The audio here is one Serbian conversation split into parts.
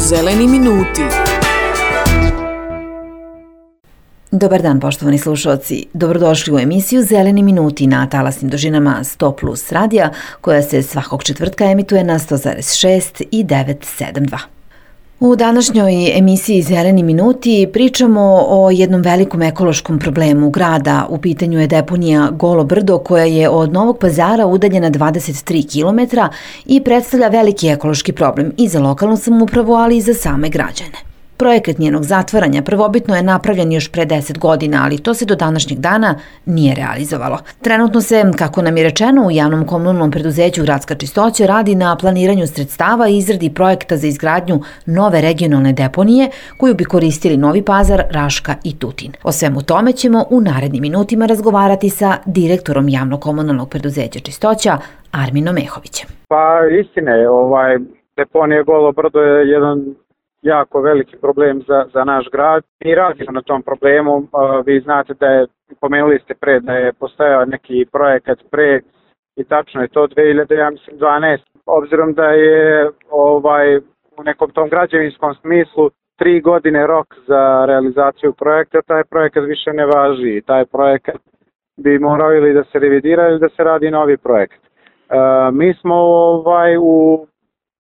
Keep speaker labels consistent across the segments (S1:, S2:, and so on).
S1: Zeleni minuti.
S2: Dobar dan, poštovani slušalci. Dobrodošli u emisiju Zeleni minuti na talasnim dužinama 100 plus radija, koja se svakog četvrtka emituje na 100,6 i 972. U današnjoj emisiji Zeleni minuti pričamo o jednom velikom ekološkom problemu grada. U pitanju je deponija Golo brdo, koja je od Novog Pazara udaljena 23 km i predstavlja veliki ekološki problem i za lokalnu samoupravu, ali i za same građane. Projekat njenog zatvaranja prvobitno je napravljen još pre 10 godina, ali to se do današnjeg dana nije realizovalo. Trenutno se, kako nam je rečeno, u javnom komunalnom preduzeću Gradska čistoća radi na planiranju sredstava i izradi projekta za izgradnju nove regionalne deponije koju bi koristili Novi Pazar, Raška i Tutin. O svemu tome ćemo u narednim minutima razgovarati sa direktorom javnog komunalnog preduzeća Čistoća, Arminom Mehovićem.
S3: Pa istina je, deponija Golo brdo je jedan jako veliki problem za naš grad. Mi radimo na tom problemu. Vi znate da je, pomenuli ste pre, da je postojao neki projekat pre i tačno je to 2012. Obzirom da je u nekom tom građevinskom smislu 3 godine rok za realizaciju projekta, taj projekat više ne važi. Taj projekat bi morao ili da se revidira ili da se radi novi projekat. Mi smo u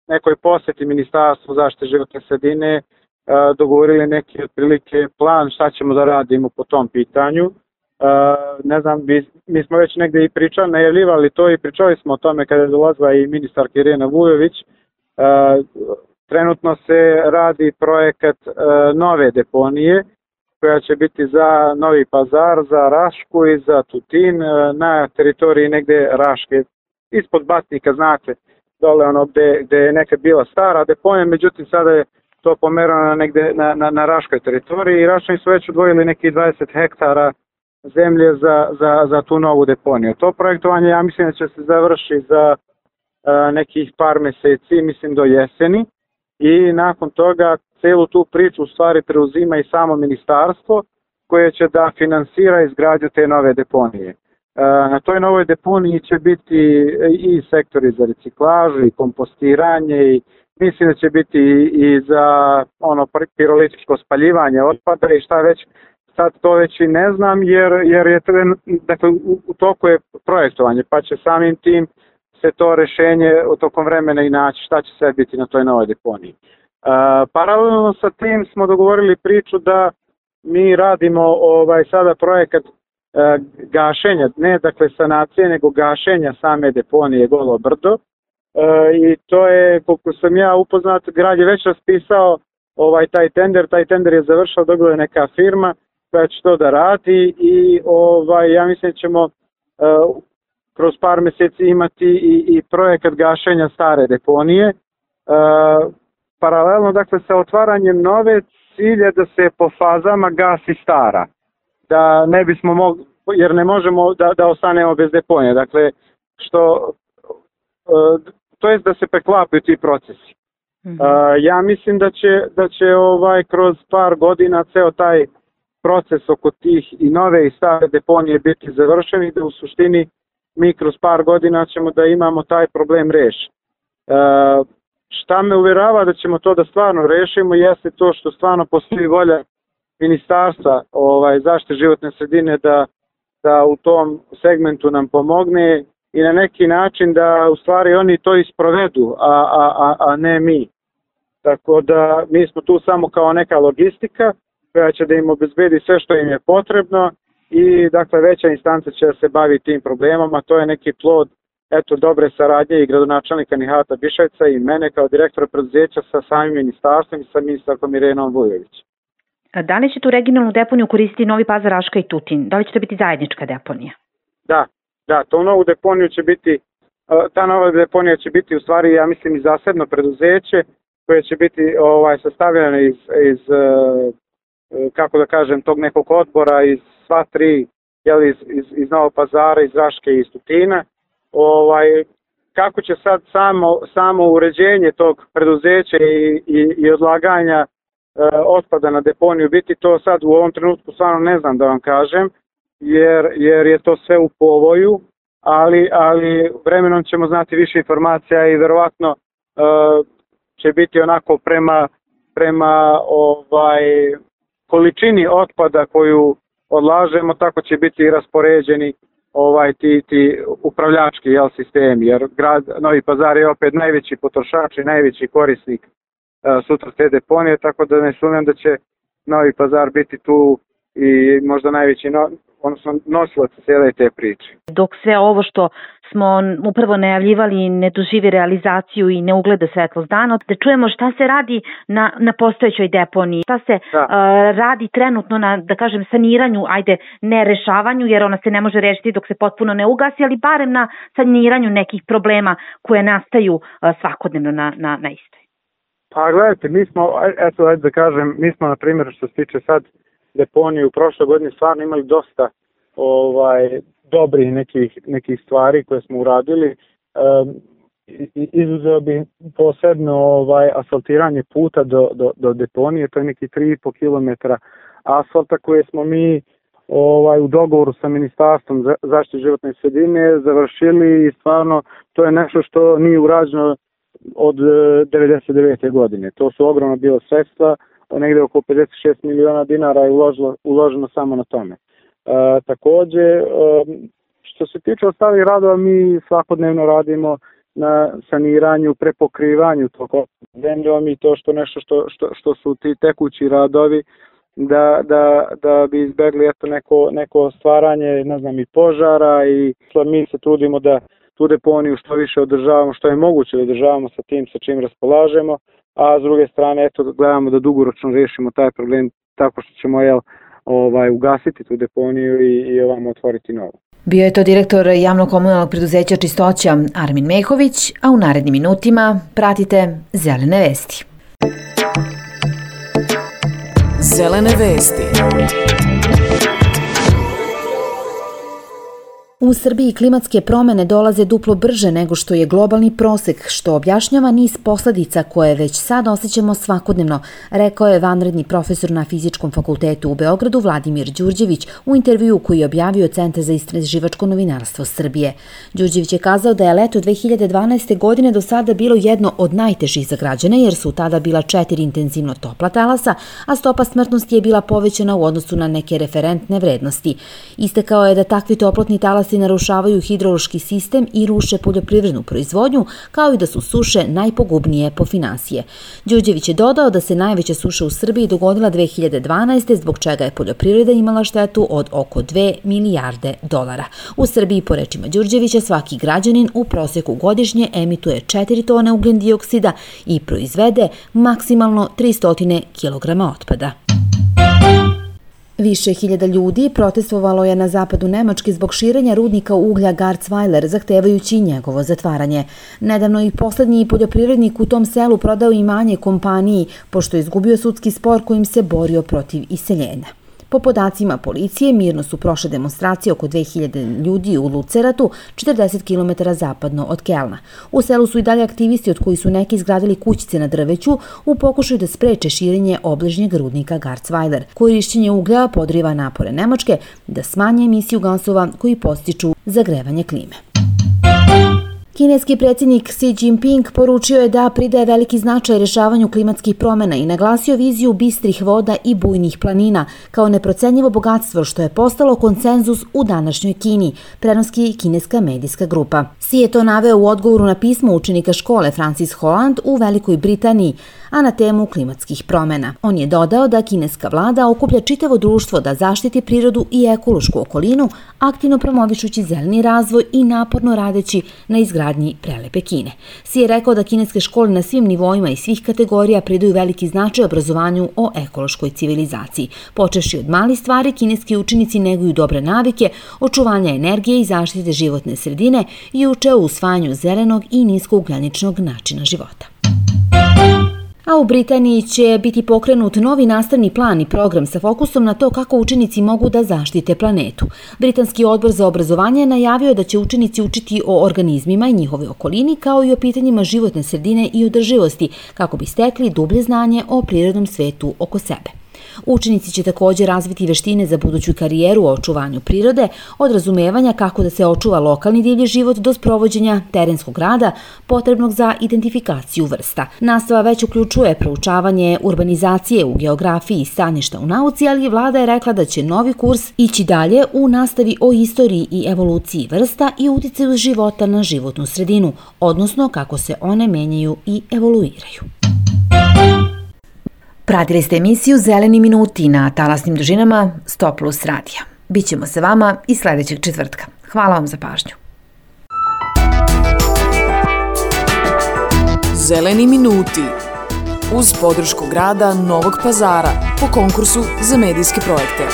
S3: nekoj posjeti Ministarstvu zaštite životne sredine dogovorili neki otprilike plan šta ćemo da radimo po tom pitanju. Ne znam, mi smo već negdje i najavljivali to i pričali smo o tome kada je dolazila i ministarka Irena Vujović. Trenutno se radi projekat nove deponije koja će biti za Novi Pazar, za Rašku i za Tutin na teritoriji negdje Raške, ispod Batnika, znate, dole gde je nekad bila stara deponija, međutim sada je to pomerano negde na Raškoj teritoriji i Raščani su već odvojili nekih 20 hektara zemlje za tu novu deponiju. To projektovanje, ja mislim da će se završiti za nekih par meseci, mislim do jeseni, i nakon toga celu tu priču u stvari preuzima i samo ministarstvo koje će da finansira izgradnju te nove deponije. Na toj novoj deponiji će biti i sektori za reciklažu i kompostiranje i mislim da će biti i za pirolitičko spaljivanje otpada i šta već. Sad to već i ne znam jer je dakle, u toku je projektovanje, pa će samim tim se to rešenje u tokom vremena i naći šta će sve biti na toj novoj deponiji. Paralelno sa tim smo dogovorili priču da mi radimo sada projekat gašenja, ne dakle sanacije, nego gašenja same deponije Golo brdo. I to je, koliko sam ja upoznat, grad je već raspisao taj tender je završao, dobila je neka firma koja će to da radi i ja mislim da ćemo kroz par mjeseci imati i projekat gašenja stare deponije. Paralelno dakle sa otvaranjem nove, cilj je da se po fazama gasi stara. Da ne bismo mogli, jer ne možemo da ostanemo bez deponije. Dakle, to jest da se preklapaju ti procesi. Ja mislim da će kroz par godina ceo taj proces oko tih i nove i stare deponije biti završen i da u suštini mi kroz par godina ćemo da imamo taj problem rešen. Šta me uvjerava da ćemo to da stvarno rešimo jeste to što stvarno postoji volja Ministarstva zaštite životne sredine da u tom segmentu nam pomogne i na neki način da u stvari oni to isprovedu, a ne mi. Tako da mi smo tu samo kao neka logistika koja će da im obezbedi sve što im je potrebno i dakle veća instanca će da se bavi tim problemom, a to je neki plod dobre saradnje i gradonačelnika Nihata Bišajca i mene kao direktora preduzeća sa samim ministarstvom i sa ministarkom Irenom Vujović.
S4: Da li će tu regionalnu deponiju koristiti Novi Pazar, Raška i Tutin? Da li će to biti zajednička deponija?
S3: Da, tu novu deponiju će biti, ta nova deponija će biti u stvari, ja mislim, i zasebno preduzeće koje će biti sastavljeno iz kako da kažem, tog nekog odbora iz sva tri, iz Novog Pazara, iz Raške i iz Tutina. Kako će sad samo uređenje tog preduzeća i odlaganja otpada na deponiju biti, to sad u ovom trenutku stvarno ne znam da vam kažem, jer je to sve u povoju, ali vremenom ćemo znati više informacija i verovatno će biti onako prema prema količini otpada koju odlažemo, tako će biti i raspoređeni ti upravljački sistemi, jer grad Novi Pazar je opet najveći potrošač i najveći korisnik sutra te deponije, tako da ne sumnjam da će Novi Pazar biti tu i možda najveći nosilac cijele te priče.
S4: Dok sve ovo što smo upravo najavljivali ne doživi realizaciju i ne ugleda svetlost dana, da čujemo šta se radi na postojećoj deponiji, šta se radi trenutno na, da kažem, saniranju, ne rešavanju, jer ona se ne može rešiti dok se potpuno ne ugasi, ali barem na saniranju nekih problema koje nastaju svakodnevno na istoj.
S3: Pa gledajte, mi smo, na primjer, što se tiče sad deponije, u prošloj godini stvarno imali dosta dobrih nekih stvari koje smo uradili. Izuzeo bi posebno asfaltiranje puta do deponije, to je neki 3,5 km asfalta koje smo mi u dogovoru sa Ministarstvom zaštite životne sredine završili i stvarno to je nešto što nije urađeno od 1999. godine. To su ogromno bilo sredstva, negde oko 56 miliona dinara je uloženo samo na tome. Takođe, što se tiče ostalih radova, mi svakodnevno radimo na saniranju, prepokrivanju tog zemljom i to što su ti tekući radovi da bi izbegli neko stvaranje, i požara, i mi se trudimo da tu deponiju što više održavamo, što je moguće da održavamo sa tim sa čim raspolažemo, a s druge strane gledamo da dugoročno rešimo taj problem tako što ćemo ugasiti tu deponiju i otvoriti novu.
S2: Bio je to direktor javno-komunalnog preduzeća Čistoća Armin Mehović, a u narednim minutima pratite Zelene vesti.
S1: Zelene vesti.
S2: U Srbiji klimatske promene dolaze duplo brže nego što je globalni prosek, što objašnjava niz posledica koje već sad osjećamo svakodnevno, rekao je vanredni profesor na Fizičkom fakultetu u Beogradu Vladimir Đurđević u intervjuu koji je objavio Centar za istraživačko novinarstvo Srbije. Đurđević je kazao da je leto 2012. godine do sada bilo jedno od najtežih za građane jer su tada bila 4 intenzivno topla talasa, a stopa smrtnosti je bila povećana u odnosu na neke referentne vrednosti. Istakao je da takvi toplotni talasi narušavaju hidrološki sistem i ruše poljoprivrednu proizvodnju, kao i da su suše najpogubnije po finansije. Đurđević je dodao da se najveća suša u Srbiji dogodila 2012. zbog čega je poljoprivreda imala štetu od oko 2 milijarde dolara. U Srbiji, po rečima Đurđevića, svaki građanin u proseku godišnje emituje 4 tone ugljen dioksida i proizvede maksimalno 300 kg otpada. Više hiljada ljudi protestovalo je na zapadu Nemačke zbog širenja rudnika uglja Garzweiler, zahtevajući njegovo zatvaranje. Nedavno i poslednji poljoprivrednik u tom selu prodao imanje kompaniji, pošto je izgubio sudski spor kojim se borio protiv iseljenja. Po podacima policije, mirno su prošle demonstracije oko 2000 ljudi u Luceratu, 40 km zapadno od Kelna. U selu su i dalje aktivisti od koji su neki izgradili kućice na drveću u pokušaju da spreče širenje obližnjeg rudnika Garzweiler. Korišćenje uglja podriva napore Nemačke da smanje emisiju gasova koji podstiču zagrevanje klime. Kineski predsjednik Xi Jinping poručio je da pridaje veliki značaj rešavanju klimatskih promjena i naglasio viziju bistrih voda i bujnih planina kao neprocenjivo bogatstvo što je postalo konsenzus u današnjoj Kini, prenosi kineska medijska grupa. Xi je to naveo u odgovoru na pismo učenika škole Francis Holland u Velikoj Britaniji, a na temu klimatskih promjena. On je dodao da kineska vlada okuplja čitavo društvo da zaštiti prirodu i ekološku okolinu, aktivno promovišući zeleni razvoj i naporno radeći na izgradnji prelepe Kine. Xi je rekao da kineske škole na svim nivoima i svih kategorija pridaju veliki značaj obrazovanju o ekološkoj civilizaciji. Počevši od malih stvari, kineski učenici neguju dobre navike, očuvanja energije i zaštite životne sredine i uče o usvajanju zelenog i niskougljeničnog načina života. A u Britaniji će biti pokrenut novi nastavni plan i program sa fokusom na to kako učenici mogu da zaštite planetu. Britanski odbor za obrazovanje najavio da će učenici učiti o organizmima i njihove okolini kao i o pitanjima životne sredine i održivosti kako bi stekli dublje znanje o prirodnom svetu oko sebe.
S5: Učenici će također razviti veštine za buduću karijeru u očuvanju prirode, od razumevanja kako da se očuva lokalni divlji život do sprovođenja terenskog rada potrebnog za identifikaciju vrsta. Nastava već uključuje proučavanje urbanizacije u geografiji i staništa u nauci, ali vlada je rekla da će novi kurs ići dalje u nastavi o istoriji i evoluciji vrsta i uticaju života na životnu sredinu, odnosno kako se one menjaju i evoluiraju.
S2: Pratili ste emisiju Zeleni minuti na talasnim dužinama 100 plus radija. Bićemo sa vama i sljedećeg četvrtka. Hvala vam za pažnju.
S1: Zeleni minuti uz podršku grada Novog Pazara po konkursu za medijske projekte.